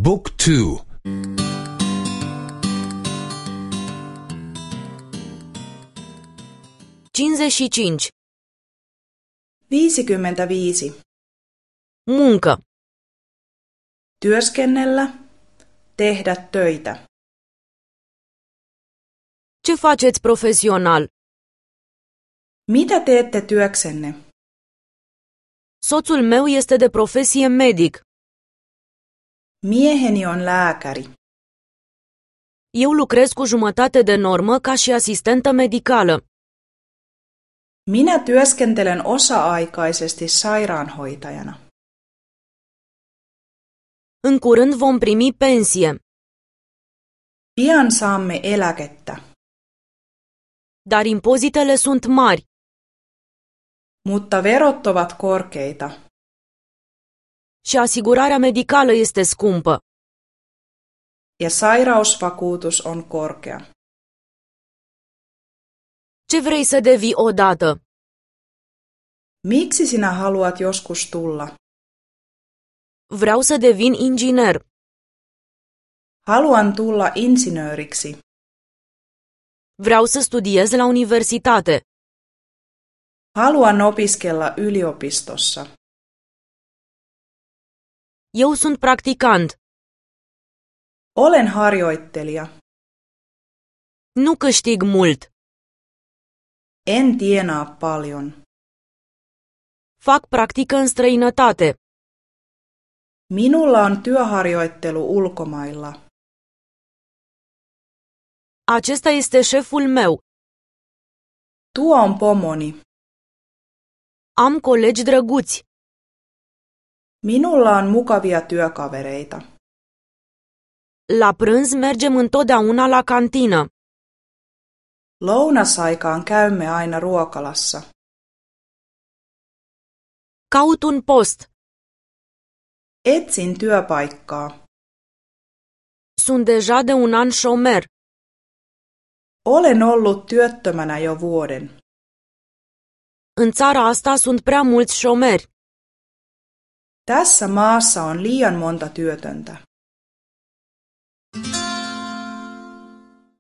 Book 2. 55. 55. Muncă. Työskennellä, tehdä töitä. Ce faceți profesional? Mitä teette työksenne? Soțul meu este de profesie medic. Mieheni on lääkäri. Eu lucrez cu jumătate de normă ca și asistentă medicală. Minä työskentelen osa-aikaisesti sairaanhoitajana. În curând vom primi pensie. Pian saamme eläkettä. Dar impozitele sunt mari. Mutta verot ovat korkeita. Și asigurarea medicală este scumpă. Ja sairausvakuutus on korkea. Ce vrei să devii odată? Miksi sinä haluat joskus tulla? Vreau să devin inginer. Haluan tulla insinööriksi. Vreau să studiez la universitate. Haluan opiskella yliopistossa. Eu sunt practicant. Olen harjoittelija. Nu câștig mult. En tienaa paljon. Fac practică în străinătate. Minulla on työharjoittelu ulkomailla. Acesta este șeful meu. Tuo on pomoni. Am colegi drăguți. Minulla on mukavia työkavereita. La prânz mergem întotdeauna la cantină. Lounasaikaan käymme aina ruokalassa. Caut un post. Etsin työpaikkaa. Sunt deja de un an șomer. Olen ollut työttömänä jo vuoden. În țara asta sunt prea mulți șomeri. Tässä maassa on liian monta työtöntä.